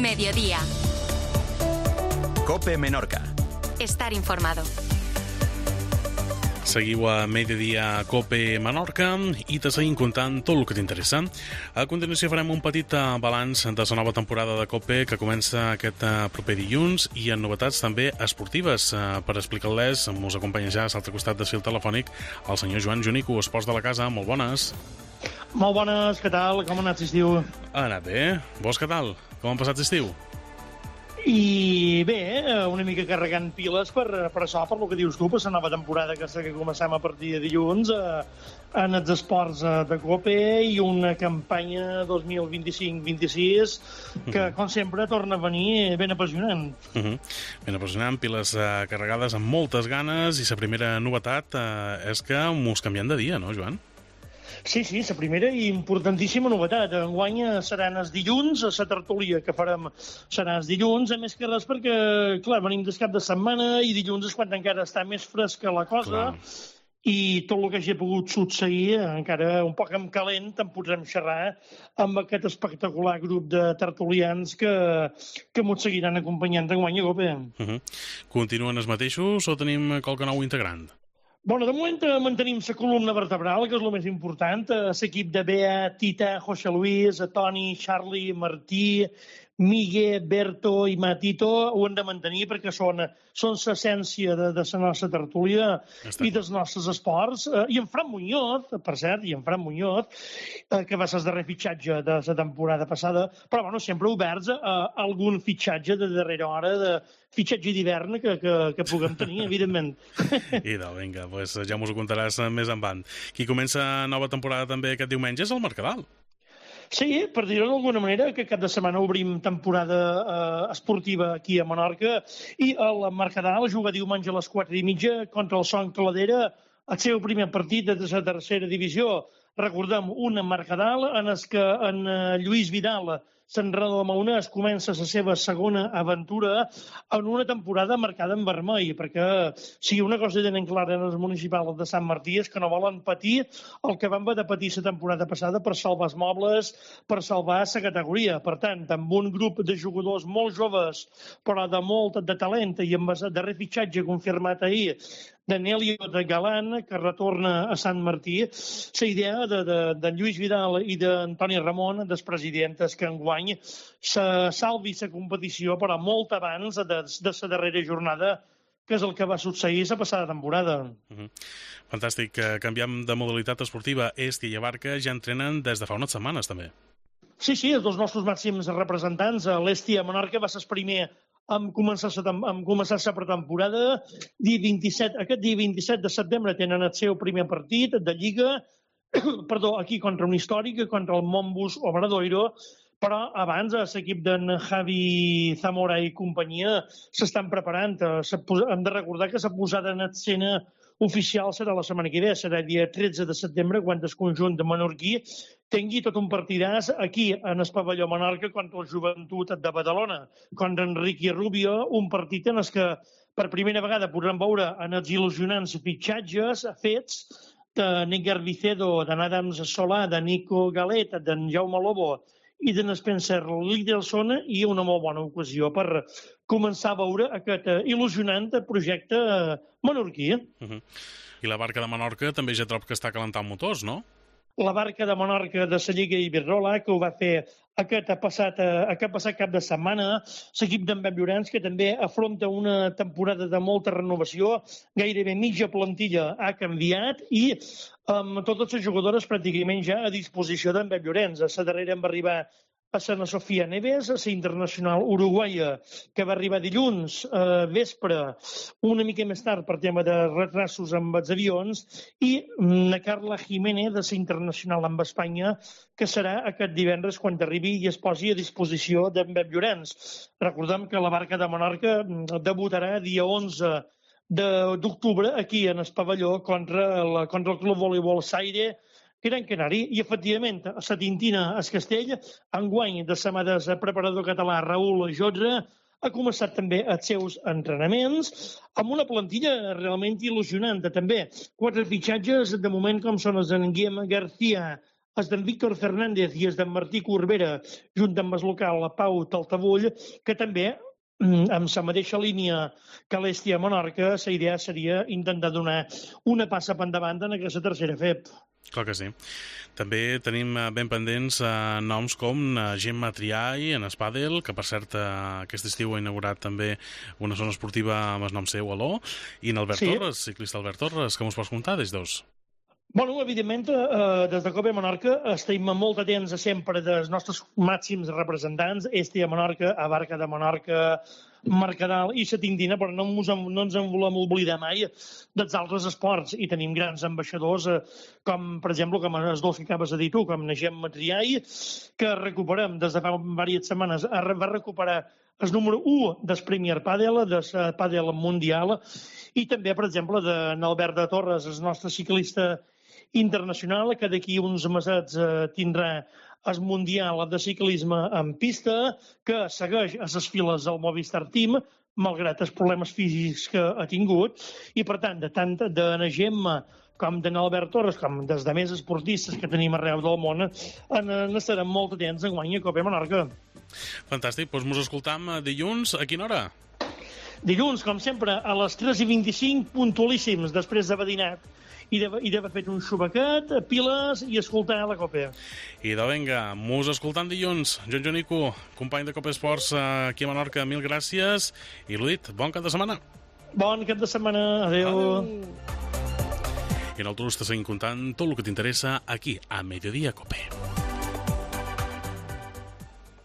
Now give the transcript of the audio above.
Mediodía. COPE Menorca. Estar informado. Seguiu a Mediodía COPE Menorca i te seguim contant tot el que t'interessa. A continuació farem un petit balanç de la nova temporada de COPE que comença aquest proper dilluns i en novetats també esportives. Per explicar-les ens acompanya ja a l'altre costat del fil telefònic el senyor Joan Junico, Esports de la Casa. Molt bones. Molt bones, què tal? Com ha anat l'estiu? Ha anat bé. Vos què tal? Com han passat l'estiu? I bé, una mica carregant piles per això, per el que dius tu, per la nova temporada que comencem a partir de dilluns en els esports de COPE i una campanya 2025-26 que, com sempre, torna a venir ben apassionant. Ben apassionant, piles carregades amb moltes ganes, i la primera novetat és que mos canviem de dia, no, Joan? Sí, la primera i importantíssima novetat. Enguany seran els dilluns, la tertúlia que farem serà els dilluns, a més que res perquè, clar, venim del cap de setmana i dilluns és quan encara està més fresca la cosa. Clar. I tot el que hagi pogut succeir, encara un poc en calent, en podrem xerrar amb aquest espectacular grup de tertulians que ens seguiran acompanyant d'enguany a COPE. Continuen els mateixos o tenim qualque nou integrant? Bueno, de moment mantenim la columna vertebral, que és el més important. L'equip de Bea, Tita, José Luis, Toni, Charlie, Martí, Migue, Berto i Matito ho hem de mantenir perquè són l'essència de la nostra tertúlia i dels nostres esports. I en Fran Muñoz, per cert, que va ser el darrer fitxatge de la temporada passada, però bueno, sempre oberts a algun fitxatge de darrera hora, de fitxatge d'hivern que puguem tenir, evidentment. Idò, vinga, pues ja mos ho contaràs més endavant. Qui comença nova temporada també aquest diumenge és el Mercadal. Sí, per dir-ho d'alguna manera, que cap de setmana obrim temporada esportiva aquí a Menorca i el Mercadal juga diumenge a les 4:30 contra el Son Cladera, el seu primer partit de la tercera divisió. Recordem, un Mercadal en el que en Lluís Vidal, l'entrenador de Maonès, comença la seva segona aventura en una temporada marcada en vermell, perquè si una cosa tenen clara en els municipals de Sant Martí és que no volen patir el que van haver de patir la temporada passada per salvar els mobles, per salvar la categoria. Per tant, amb un grup de jugadors molt joves, però de molt de talent, i amb el darrer fitxatge confirmat ahir d'Anelio de Galán, que retorna a Sant Martí, la idea de Lluís Vidal i d'Antoni Ramon, dels presidents, que enguany se salvi la competició, però molt abans de la darrera jornada, que és el que va succeir la passada temporada. Fantàstic. Canviem de modalitat esportiva. Est i Abarca ja entrenen des de fa unes setmanes, també. Sí, els dos nostres màxims representants. L'Est i a Menorca va ser el primer amb començar la pretemporada. Aquest dia 27 de setembre tenen el seu primer partit de Lliga, aquí contra un històric, contra el Montbus Obradoiro, però abans l'equip d'en Javi Zamora i companyia s'estan preparant. Hem de recordar que la posada en escena oficial serà la setmana que ve, serà el dia 13 de setembre, quan el conjunt de menorquí tingui tot un partidàs aquí, en el pavelló Menorca, contra el Joventut de Badalona, contra Enrique Rubio, un partit en el que per primera vegada podrem veure en els il·lusionants fitxatges fets de Níger Vicedo, d'en Adams Solà, de Nico Galet, d'en Jaume Lobo i d'en Spencer Lidelson, i una molt bona ocasió per començar a veure aquest il·lusionant projecte menorquí. I la Barca de Menorca també ja trob que està calentant motors, no? La Barca de Menorca de la Lliga Iberdrola, que ho va fer aquest passat cap de setmana. L'equip d'en Pep Llorenç, que també afronta una temporada de molta renovació, gairebé mitja plantilla ha canviat i amb totes les jugadores pràcticament ja a disposició d'en Pep Llorenç. A la darrera en va arribar a Sana Sofia Neves, a la internacional uruguaia, que va arribar dilluns vespre, una mica més tard per tema de retrasos amb els avions, i na Carla Jiménez, de la internacional amb Espanya, que serà aquest divendres quan arribi i es posi a disposició d'en Pep Llorenç. Recordem que la Barca de Menorca debutarà dia 11 d'octubre aquí en el pavelló contra el Club Voleibol Saire Gran Canari, i efectivament a la Tintina, a Castell, enguany de la mà del preparador català Raül Jodra, ha començat també els seus entrenaments amb una plantilla realment il·lusionant. També 4 fitxatges de moment, com són els d'en Guillem García, és d'en Víctor Fernández i és d'en Martí Corbera, junt amb el local Pau Taltabull, que també, amb la mateixa línia que l'Hèstia Menorca, la idea seria intentar donar una passa per endavant en aquesta tercera FEP. Clar que sí. També tenim ben pendents noms com Gemma Triay en Espadel, que per cert aquest estiu ha inaugurat també una zona esportiva amb el nom seu, Aló, i en Albert Torres, ciclista Albert Torres, que mos pots contar des dos? Bueno, evidentment, des de Cope Menorca estem molt atents sempre dels nostres màxims representants, Hèstia Menorca, Abarca de Menorca, Mercadal i Setindina, però no ens en volem oblidar mai dels altres esports. I tenim grans ambaixadors, com, per exemple, com els dos que acabes de dir tu, com Gemma Triay, que recuperem des de fa diverses setmanes, va recuperar el número 1 del Premier Padel, del Padel Mundial, i també, per exemple, d'Albert de Torres, el nostre ciclista internacional, que d'aquí uns mesets tindrà el Mundial de Ciclisme en pista, que segueix a les files del Movistar Team, malgrat els problemes físics que ha tingut, i per tant, de na Gemma com d'en Albert Torres, com dels de més esportistes que tenim arreu del món, n'estarem molt atents enguany a Cope Menorca. Fantàstic, doncs mos escoltam dilluns, a quina hora? Dilluns, com sempre, a les 3:25, puntualíssims, després d'haver dinat i d'haver fet un xubaquet, piles i escoltar la Copa. I de vinga, mos escoltam dilluns. Joan Jonico, company de Copa Esports aquí a Menorca, mil gràcies. I l'ho dit, bon cap de setmana. Bon cap de setmana, adeu. I nosaltres te seguim contant tot el que t'interessa aquí, a Mediodía Cope.